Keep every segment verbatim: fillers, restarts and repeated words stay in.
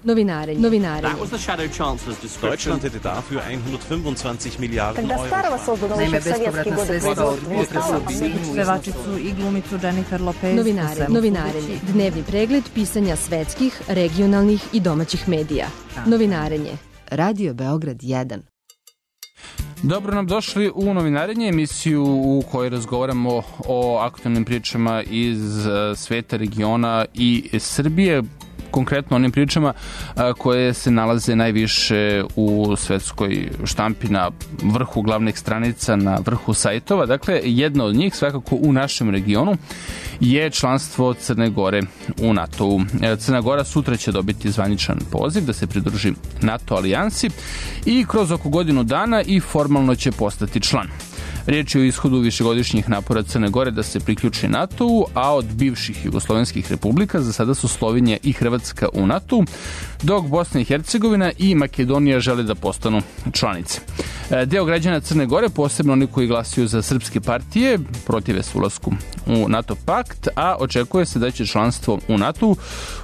Novinarenje. Novinarenje. Deutschland hätte dafür hundertfünfundzwanzig Miliarden Euro. Naime, bespovratna sredstva od potresa pevačicu i glumicu Jennifer Lopez. Novinarenje. Novinarenje. Dnevni pregled pisanja svetskih, regionalnih i domaćih medija. Novinarenje. Radio Beograd jedan. Dobro nam došli u Novinarenje, emisiju u kojoj razgovaramo o aktualnim pričama iz sveta, regiona i Srbije. Konkretno onim pričama koje se nalaze najviše u svetskoj štampi, na vrhu glavnih stranica, na vrhu sajtova. Dakle, jedna od njih, svakako u našem regionu, je članstvo Crne Gore u NATO-u. Crna Gora sutra će dobiti zvaničan poziv da se pridruži NATO alijansi i kroz oko godinu dana i formalno će postati član. Riječ je o ishodu višegodišnjih napora Crne Gore da se priključi NATO-u, a od bivših jugoslovenskih republika za sada su Slovenija i Hrvatska u NATO-u, dok Bosna i Hercegovina i Makedonija žele da postanu članice. Deo građana Crne Gore, posebno oni koji glasuju za srpske partije, protive se ulasku u NATO pakt, a očekuje se da će članstvo u NATO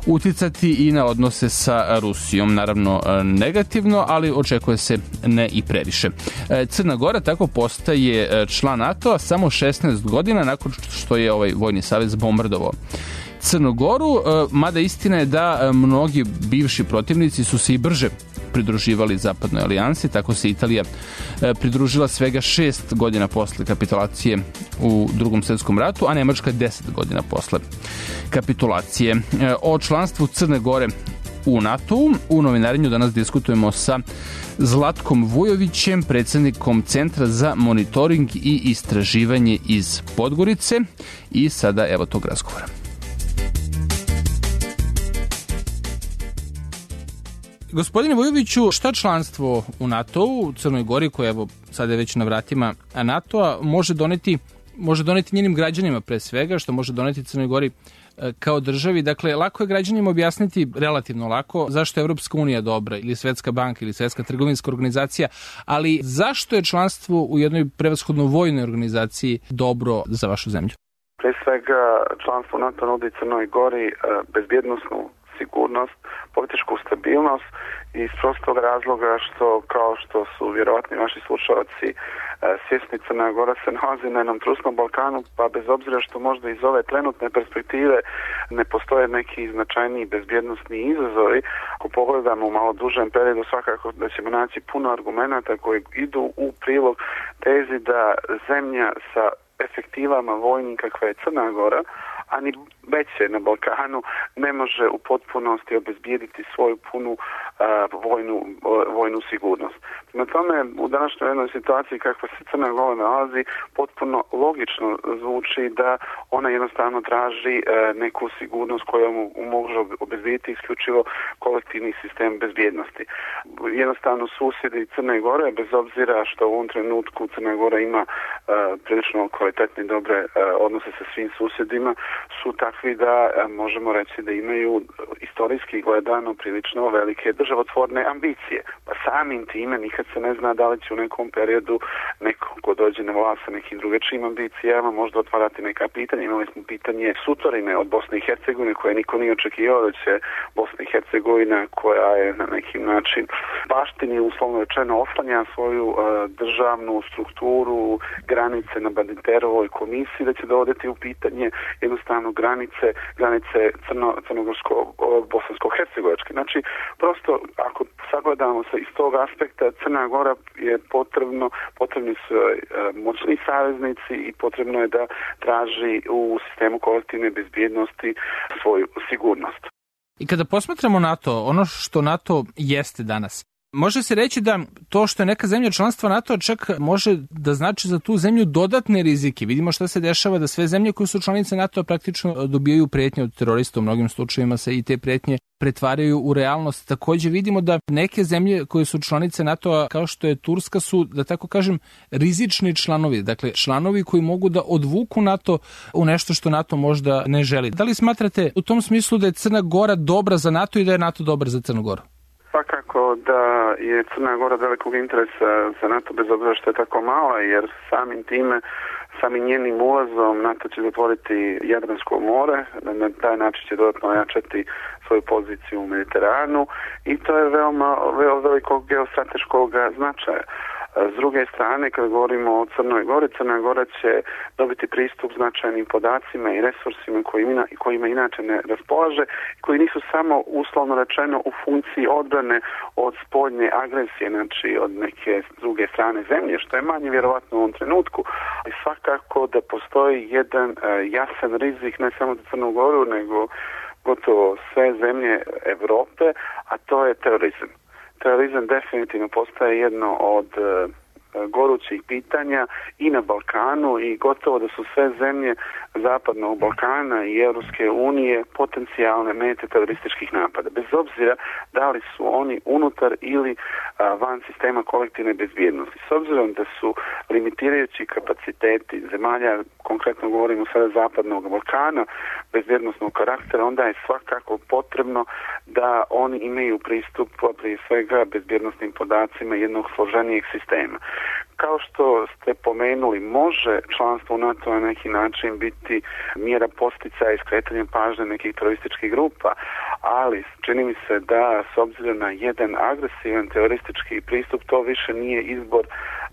uticati i na odnose sa Rusijom. Naravno negativno, ali očekuje se ne i previše. Crna Gora tako postaje član NATO-a samo šesnaest godina nakon što je ovaj vojni savez bombardovao Crnu Goru, mada istina je da mnogi bivši protivnici su se i brže pridruživali zapadnoj alijansi. Tako se Italija pridružila svega šest godina posle kapitulacije u Drugom svjetskom ratu, a Nemačka deset godina posle kapitulacije. O članstvu Crne Gore u NATO-u u Novinarenju danas diskutujemo sa Zlatkom Vujovićem, predsjednikom Centra za monitoring i istraživanje iz Podgorice. I sada evo tog razgovora. Gospodine Vujoviću, šta članstvo u NATO-u, u Crnoj Gori, koja evo sada je već na vratima NATO-a, može doneti, može doneti njenim građanima pre svega, što može doneti Crnoj Gori kao državi? Dakle, lako je građanima objasniti, relativno lako, zašto je Evropska unija dobra, ili Svetska banka, ili Svetska trgovinska organizacija, ali zašto je članstvo u jednoj prevashodno vojnoj organizaciji dobro za vašu zemlju? Pre svega, članstvo NATO nudi Crnoj Gori bezbjednosnu sigurnost, političku stabilnost i iz prostog razloga što, kao što su vjerovatni vaši slušalci svjesni, Crna Gora se nalazi na jednom trusnom Balkanu, pa bez obzira što možda iz ove trenutne perspektive ne postoje neki značajniji bezbjednosni izazovi, ako pogledamo u malo dužem periodu, svakako da ćemo naći puno argumenata koji idu u prilog tezi da zemlja sa efektivama vojnim kakva je Crna Gora, a ni veće na Balkanu, ne može u potpunosti obezbijediti svoju punu uh, vojnu, uh, vojnu sigurnost. Na tome, u današnjoj jednoj situaciji kakva se Crna Gora nalazi, potpuno logično zvuči da ona jednostavno traži uh, neku sigurnost koja mu može obezbijediti isključivo kolektivni sistem bezbjednosti. Jednostavno susjedi Crne Gore, bez obzira što u ovom trenutku Crna Gora ima uh, prilično kvalitetne i dobre uh, odnose sa svim susjedima, su takvi da možemo reći da imaju istorijski gledano prilično velike državotvorne ambicije. Pa samim time nikad se ne zna da li će u nekom periodu neko ko dođe na vlast sa nekim drugačijim ambicijama možda otvarati neka pitanja. Imali smo pitanje sutorine od Bosne i Hercegovine koje niko nije očekivao da će Bosna i Hercegovina, koja je na neki način baštini uslovno rečeno oslanja svoju uh, državnu strukturu, granice na Badinterovoj komisiji, da će dovoditi u pitanje jednostavno granice, granice crno, crnogorsko-bosansko-hercegovačke. Znači, prosto, ako sagledamo se iz tog aspekta, Crna Gora je potrebno, potrebni su e, moćni saveznici i potrebno je da traži u sistemu kolektivne bezbjednosti svoju sigurnost. I kada posmatramo NATO, ono što NATO jeste danas, može se reći da to što je neka zemlja članstva NATO čak može da znači za tu zemlju dodatne rizike. Vidimo šta se dešava, da sve zemlje koje su članice NATO praktično dobijaju pretnje od terorista. U mnogim slučajevima se i te pretnje pretvaraju u realnost. Također vidimo da neke zemlje koje su članice NATO-a, kao što je Turska, su, da tako kažem, rizični članovi. Dakle, članovi koji mogu da odvuku NATO u nešto što NATO možda ne želi. Da li smatrate u tom smislu da je Crna Gora dobra za NATO i da je NATO dobar za Crnu Goru? Svakako svakako da je Crna Gora velikog interesa za NATO bez obzira što je tako mala, jer samim time, samim njenim ulazom NATO će zatvoriti Jadransko more, na taj način će dodatno ojačati svoju poziciju u Mediteranu i to je veoma, veoma velikog geostrateškog značaja. S druge strane, kad govorimo o Crnoj Gori, Crna Gora će dobiti pristup značajnim podacima i resursima kojima, kojima inače ne raspolaže, koji nisu samo uslovno rečeno u funkciji odbrane od spoljne agresije, znači od neke druge strane zemlje, što je manje vjerovatno u ovom trenutku. I svakako da postoji jedan uh, jasan rizik ne samo za Crnu Goru, nego gotovo sve zemlje Evrope, a to je terorizam. Terorizam definitivno postaje jedno od e, gorućih pitanja i na Balkanu i gotovo da su sve zemlje Zapadnog Balkana i Europske unije potencijalne mete terorističkih napada. Bez obzira da li su oni unutar ili a, van sistema kolektivne bezbjednosti. S obzirom da su limitirajući kapaciteti zemalja, konkretno govorimo sada Zapadnog Balkana, bezbjednostnog karaktera, onda je svakako potrebno da oni imaju pristup prije svega bezbjednostnim podacima jednog složenijeg sistema. Kao što ste pomenuli, može članstvo u NATO na neki način biti mjera posticaja i skretanja pažnje nekih terorističkih grupa, ali čini mi se da s obzirom na jedan agresivan teroristički pristup to više nije izbor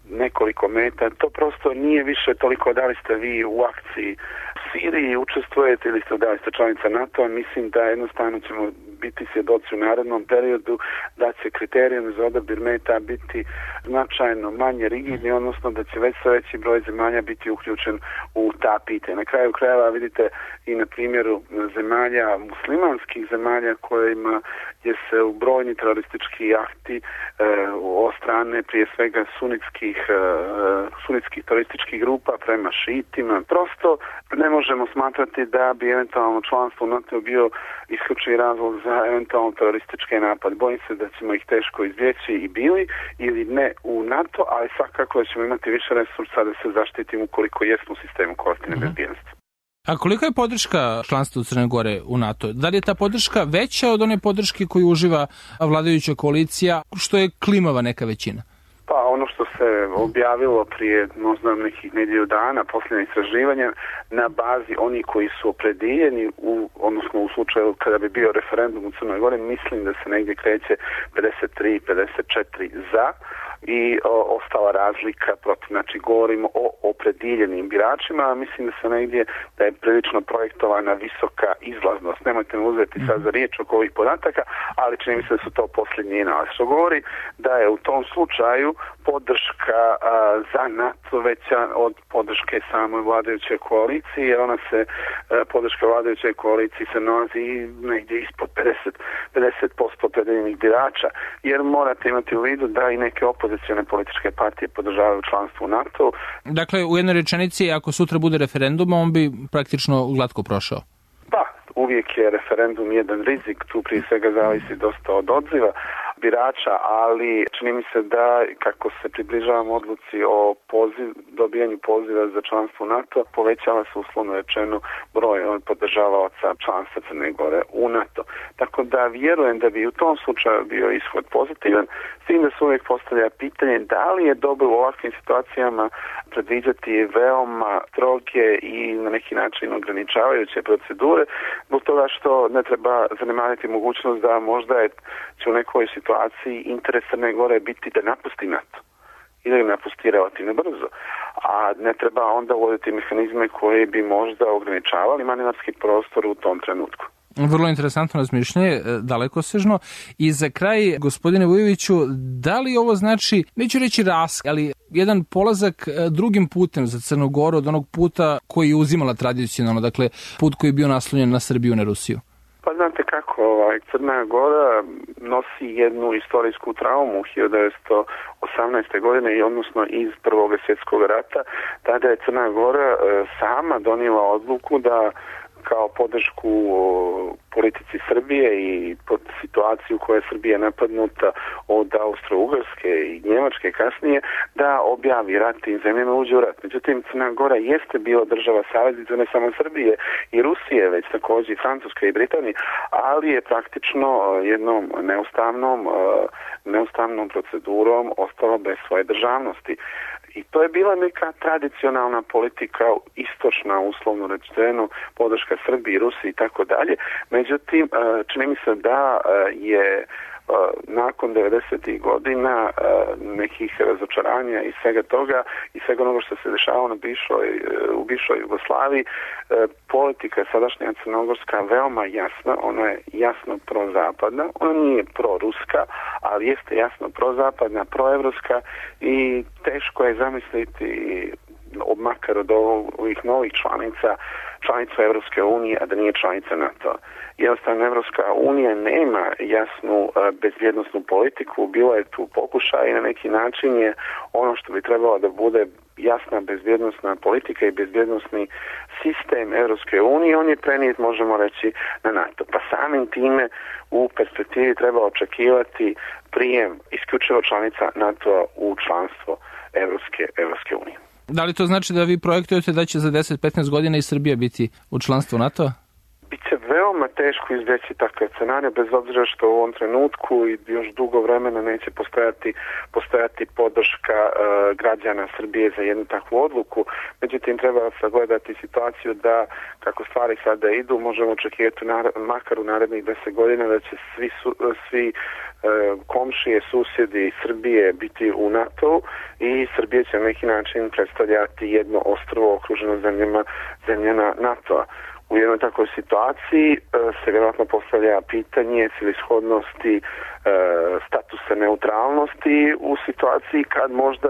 nekoliko meta, to prosto nije više toliko da li ste vi u akciji u Siriji učestvujete ili ste da li ste članica NATO-a. Mislim da jednostavno ćemo biti svjedoci u narednom periodu da će kriterijum za odabir meta biti značajno manje rigidni, odnosno da će već sve veći broj zemalja biti uključen u ta pitanja. Na kraju krajeva vidite i na primjeru zemalja, muslimanskih zemalja kojima je se u brojni teroristički akti e, o strane prije svega sunitskih, e, sunitskih terorističkih grupa prema šiitima. Prosto ne možemo smatrati da bi eventualno članstvo u NATO bio isključivi razlog za eventualno terorističke napade. Bojim se da ćemo ih teško izbjeći i bili ili ne u NATO, ali svakako da ćemo imati više resursa da se zaštitimo ukoliko jesmo u sistemu kolektivne mm-hmm. bezbjednosti. A kolika je podrška članstva Crne Gore u NATO? Da li je ta podrška veća od one podrške koju uživa vladajuća koalicija, što je klimava neka većina? Pa ono što se objavilo prije možda nekih nedjelju dana, posljednje istraživanje, na bazi oni koji su opredijeljeni, u, odnosno u slučaju kada bi bio referendum u Crnoj Gori, mislim da se negdje kreće pedeset tri pedeset četiri za i o, ostala razlika protiv. Znači govorimo o opredjeljenim biračima, a mislim da se negdje da je prilično projektovana visoka izlaznost. Nemojte me uzeti sad za riječ oko ovih podataka, ali čini mi se da su to posljednji nalaz. Što govori da je u tom slučaju podrška a, za NATO veća od podrške samoj vladajućoj koaliciji, jer ona se, a, podrška vladajućoj koaliciji se nalazi negdje ispod pedeset posto opredjeljenih birača, jer morate imati u vidu da i neke opozicijone političke partije podržavaju članstvo u NATO. Dakle, u jednoj rečenici, ako sutra bude referendum, on bi praktično glatko prošao. Pa, uvijek je referendum jedan rizik, tu prije svega zavisi dosta od odziva birača, ali čini mi se da kako se približavamo odluci o poziv, dobijanju poziva za članstvo u NATO, povećava se uslovno rečeno broj podržavaoca članstva Crne Gore u NATO. Tako da vjerujem da bi u tom slučaju bio ishod pozitivan, s tim da se uvijek postavlja pitanje da li je dobro u ovakvim situacijama predviđati veoma stroge i na neki način ograničavajuće procedure, zbog toga što ne treba zanemariti mogućnost da možda je će u nekoj situaciji interes Crne Gore biti da napusti NATO ili napusti relativno brzo, a ne treba onda uvoditi mehanizme koji bi možda ograničavali manevarski prostor u tom trenutku. Vrlo interesantno razmišljanje, dalekosežno. I za kraj, gospodine Vujoviću, da li ovo znači, neću reći rask, ali jedan polazak drugim putem za Crnu Goru od onog puta koji je uzimala tradicionalno, dakle put koji je bio naslonjen na Srbiju, na Rusiju? Pa znate kako, ovaj, Crna Gora nosi jednu istorijsku traumu hiljadu devetsto osamnaeste. godine i odnosno iz Prvog svjetskog rata. Tada je Crna Gora e, sama donijela odluku da kao podršku politici Srbije i pod situaciju koja je Srbija napadnuta od Austro-Ugarske i Njemačke kasnije, da objavi rat tim zemljama, uđe u rat. Međutim, Crna Gora jeste bila država saveznica ne samo Srbije i Rusije, već također i Francuske i Britanije, ali je praktično jednom neustavnom, neustavnom procedurom ostala bez svoje državnosti. I to je bila neka tradicionalna politika, istočna, uslovno rečeno, podrška Srbiji, Rusiji i tako dalje. Međutim, čini mi se da je nakon devedesetih godina nekih razočaranja i svega toga i svega onoga što se dešavalo na bivšoj, u bivšoj Jugoslaviji, politika sadašnja crnogorska veoma jasna, ona je jasno prozapadna, ona nije proruska, ali jeste jasno prozapadna, proevropska i teško je zamisliti makar od ovih novih članica, članica Evropske unije, a da nije članica NATO. Jednostavno, Evropska unija nema jasnu bezbjednosnu politiku, bila je tu pokušaj i na neki način je ono što bi trebalo da bude jasna bezbjednosna politika i bezbjednosni sistem Evropske unije, on je prenijet, možemo reći, na NATO. Pa samim time u perspektivi treba očekivati prijem isključivo članica NATO u članstvo Evropske, Evropske unije. Da li to znači da vi projektujete da će za deset do petnaest godina i Srbija biti u članstvu NATO-a? Biće veoma teško izbjeći takav scenarij, bez obzira što u ovom trenutku i još dugo vremena neće postojati, postojati podrška e, građana Srbije za jednu takvu odluku. Međutim, treba sagledati situaciju da, kako stvari sada idu, možemo očekivati makar u narednih deset godina da će svi, su, svi e, komšije, susjedi Srbije biti u NATO i Srbija će na neki način predstavljati jedno ostrvo okruženo zemljama, zemljama NATO-a. U jednoj takvoj situaciji se vjerojatno postavlja pitanje celishodnosti statusa neutralnosti u situaciji kad možda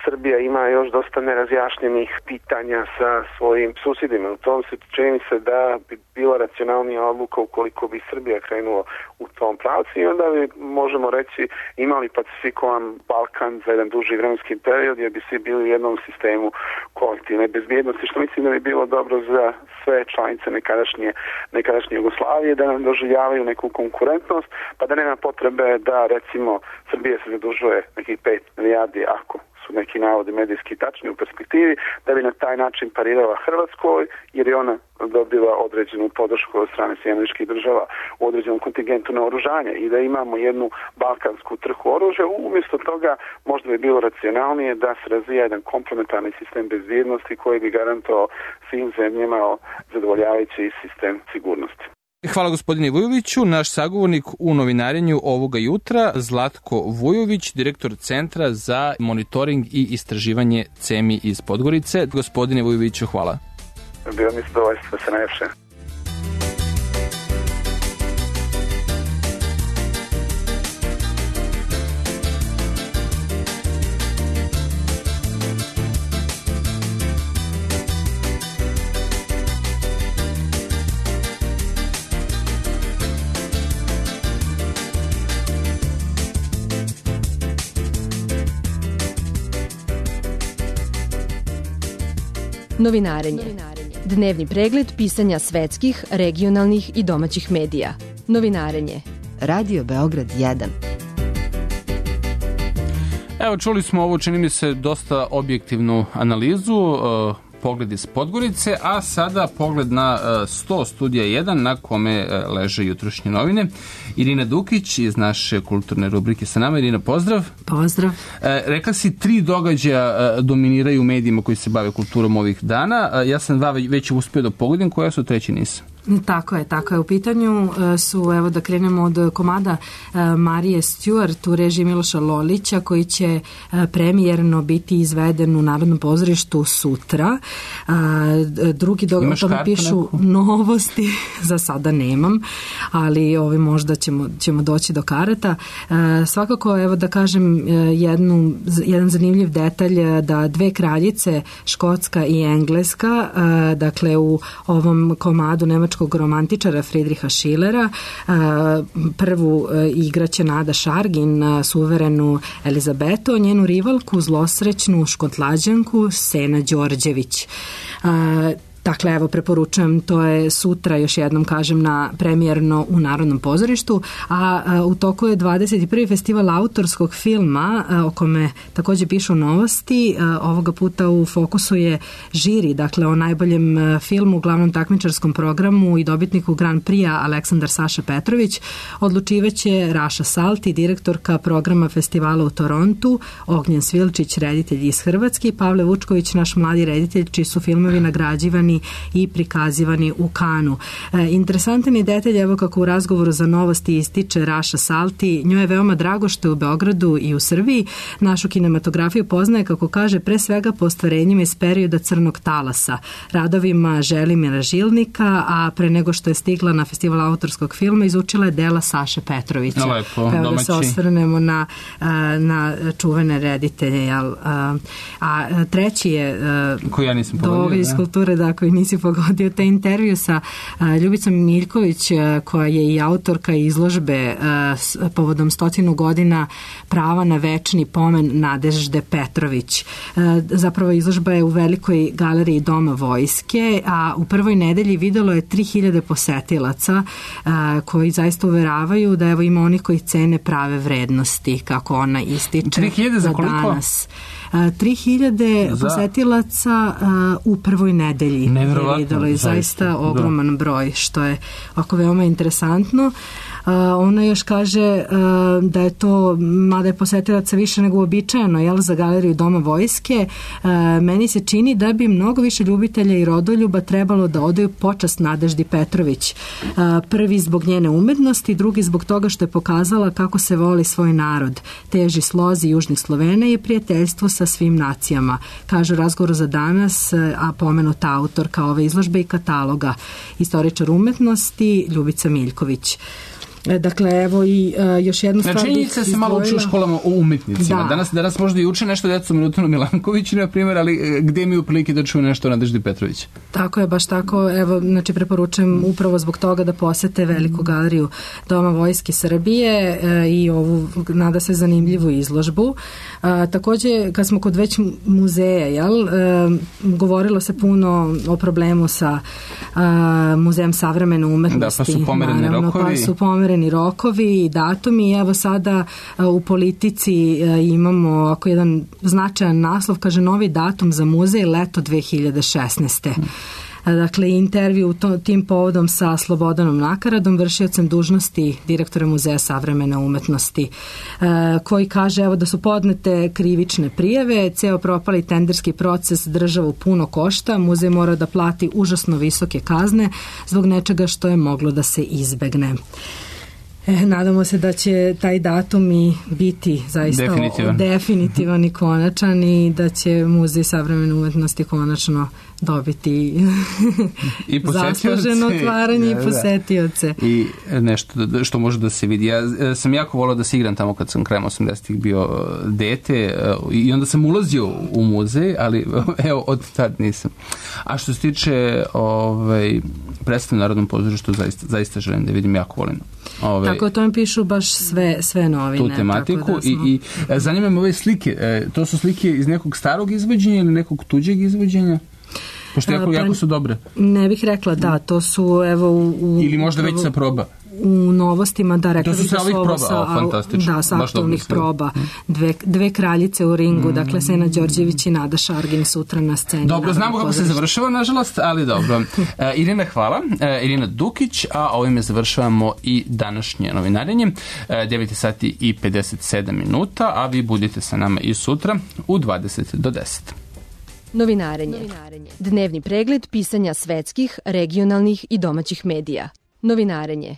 Srbija ima još dosta nerazjašnjenih pitanja sa svojim susjedima. U tom se čini se da bi bila racionalnija odluka ukoliko bi Srbija krenula u tom pravcu i onda bi, možemo reći, imali pacifikovan Balkan za jedan duži vremenski period jer bi svi bili u jednom sistemu kolektivne bezbjednosti, što mislim da bi bilo dobro za sve članice nekadašnje, nekadašnje Jugoslavije, da nam doživljavaju neku konkurentnost, pa da nema potrebe da, recimo, Srbija se zadužuje nekih pet milijardi, ako su neki navodi medijski tačni u perspektivi, da bi na taj način parirala Hrvatskoj, jer je ona dobila određenu podršku od strane Sjedinjenih Američkih Država u određenom kontingentu na oružanje i da imamo jednu balkansku trku oružja. Umjesto toga možda bi bilo racionalnije da se razvija jedan komplementarni sistem bezbjednosti koji bi garantovao svim zemljama zadovoljavajući sistem sigurnosti. Hvala gospodine Vujoviću. Naš sagovornik u novinarenju ovoga jutra, Zlatko Vujović, direktor Centra za monitoring i istraživanje CEMI iz Podgorice. Gospodine Vujoviću, hvala. Bilo mi zadovoljstvo, se najljepše. Novinarenje. Dnevni pregled pisanja svetskih, regionalnih i domaćih medija. Novinarenje. Radio Beograd jedan. Evo, čuli smo ovo, čini mi se, dosta objektivnu analizu, uh, pogled iz Podgorice, a sada pogled na uh, sto studija jedan na kome uh, leže jutrošnje novine. Irina Dukić iz naše kulturne rubrike sa nama. Irina, pozdrav. Pozdrav. E, rekla si, tri događaja e, dominiraju u medijima koji se bave kulturom ovih dana. E, ja sam dva već uspio da pogledam, koja su, treći nisam. Tako je, tako je. U pitanju su, evo da krenemo od komada Marije Stewart u režiji Miloša Lolića, koji će premijerno biti izveden u Narodnom pozorištu sutra. Drugi događaj, o tome pišu neku? Novosti, za sada nemam, ali ovi možda ćemo, ćemo doći do karata. Svakako, evo da kažem jednu, jedan zanimljiv detalj, da dve kraljice, Škotska i Engleska, dakle u ovom komadu nemačkog romantičara Friedricha Schillera, prvu igraće Nada Šargin, suverenu Elizabetu, njenu rivalku, zlosrećnu Škotlađanku Sena Đorđević. Dakle, evo, preporučujem, to je sutra, još jednom kažem, na premijerno u Narodnom pozorištu, a, a u toku je dvadeset prvi festival autorskog filma, a, o kome takođe pišu novosti. A, ovoga puta u fokusu je žiri, dakle, o najboljem a, filmu u glavnom takmičarskom programu i dobitniku Grand Prix-a Aleksandar Saša Petrović. Odlučivaće Raša Salti, direktorka programa festivala u Torontu, Ognjen Svilčić, reditelj iz Hrvatske, Pavle Vučković, naš mladi reditelj, čiji su filmovi nagrađivani i prikazivani u Kanu. E, interesantan je detalj, evo kako u razgovoru za novosti ističe Raša Salti, njoj je veoma drago što je u Beogradu i u Srbiji. Našu kinematografiju poznaje, kako kaže, pre svega po ostvarenjima iz perioda Crnog talasa, radovima Želimira Žilnika, a pre nego što je stigla na festival autorskog filma, izučila je dela Saše Petrovića. Lepo, evo domaći. Da se osvrnemo na, na čuvene reditelje. Jel? A, a treći je koji ja nisam pogodio, iz kulture, da, koji nisi pogodio, taj intervju sa a, Ljubicom Miljković, a, koja je i autorka izložbe a, s, povodom stotinu godina prava na večni pomen Nadežde Petrović. A, zapravo izložba je u velikoj galeriji Doma vojske, a u prvoj nedelji videlo je tri hiljade posetilaca a, koji zaista uveravaju da evo ima onih koji cene prave vrednosti, kako ona ističe. tri hiljade za koliko? Danas. tri hiljade za... posetilaca uh, u prvoj nedelji. Neverovatno. Videlo je zaista ogroman da. broj, što je oko veoma interesantno. Uh, ona još kaže uh, da je to, mada je posetilaca više nego uobičajeno, jel, za galeriju Doma vojske, uh, meni se čini da bi mnogo više ljubitelja i rodoljuba trebalo da odaju počast Nadeždi Petrović. Uh, prvi zbog njene umetnosti, drugi zbog toga što je pokazala kako se voli svoj narod. Teži slozi južnih Slovena je prijateljstvo sa svim nacijama. Kaže u razgovoru za danas, a pomenuta autorka ove izložbe i kataloga, istoričar umetnosti Ljubica Miljković. Dakle, evo i uh, još jednu stvar. Znači, činjenica se malo uči u školama o umetnicima. Da. Danas, danas možda i uče nešto decu Milutinu Milankoviću, na primjer, ali gde mi u prilike da čuju nešto o Nadeždi Petrović? Tako je, baš tako. Evo, znači, preporučujem upravo zbog toga da posete veliku galeriju Doma vojske Srbije e, i ovu, nada se, zanimljivu izložbu. A, takođe, kad smo kod već muzeja, jel, e, govorilo se puno o problemu sa a, Muzejem savremene umetnosti. Da, pa su pomereni naravno, rokovi. Pa su pomereni rokovi i datumi. Evo sada u Politici imamo ako jedan značajan naslov, kaže novi datum za muzej leto dve hiljade šesnaeste. Dakle, intervju to, tim povodom sa Slobodanom Nakaradom, vršiocem dužnosti direktora Muzeja savremene umetnosti, koji kaže evo da su podnete krivične prijave, ceo propali tenderski proces državu puno košta, muzej mora da plati užasno visoke kazne zbog nečega što je moglo da se izbegne. E, nadamo se da će taj datum i biti zaista definitivan, definitivan i konačan i da će Muzej savremene umetnosti konačno dobiti i zasluženo otvaranje da, i posetioce. Da. I nešto što može da se vidi. Ja sam jako volao da se igram tamo kad sam krajem osamdesetih bio dete i onda sam ulazio u muzej, ali evo od tad nisam. A što se tiče ovaj, predstav u Narodnom pozorištu, zaista, zaista želim da vidim, jako volim. Ove, tako, to mi pišu baš sve, sve novine. Tu tematiku tako da smo... i, i zanima me ove slike. E, to su slike iz nekog starog izvođenja ili nekog tuđeg izvođenja? Pošto jako, jako su dobre. Ne bih rekla, da, to su evo u... u ili možda već sa proba. U novostima, da, rekla bih da su ovo sa, o, fantastično. Da, sa aktualnih proba. Dve, dve kraljice u ringu, mm. dakle Sena Đorđević i Nada Šargin sutra na sceni. Dobro, znamo kako se završava, nažalost, ali dobro. E, Irina, hvala. E, Irina Dukić, a ovime završavamo i današnje novinarenje. E, devet sati i pedeset sedam minuta, a vi budite sa nama i sutra u dvadeset do deset. Novinarenje. Dnevni pregled pisanja svetskih, regionalnih i domaćih medija. Novinarenje.